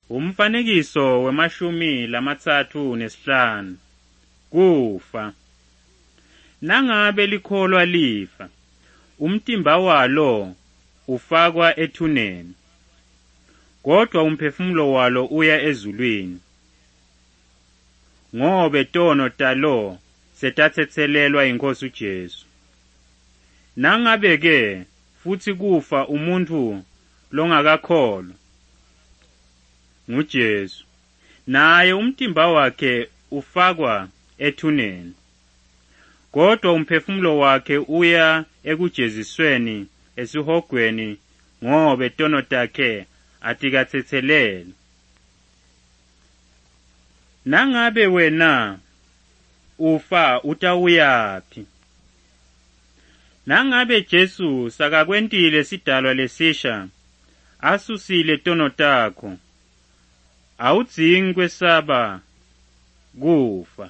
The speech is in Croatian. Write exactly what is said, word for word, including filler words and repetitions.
Umfanekiso wemashumi lamatsatfu nesihlanu. Kufa. Nangabe likholwa lifa, umtimba walo ufakwa ethuneni, kodwa umphefumulo walo uya ezulwini. Ngobe tono talo setatsetselelwa iNkosi uJesu. Nangabe-ke futhi kufa umuntu longakakholwa nguJesu, naye umtimba wakhe ufakwa ethuneni, kodwa umphefumulo wakhe uya ekujezisweni esihogweni ngobe tono takhe atikatsetselelwa. Nangabe wena ufa utawuyaphi? Nangabe Jesu sakakwentile sidalwa lesisha, asusile tono takho, awudzingi kwesaba kufa.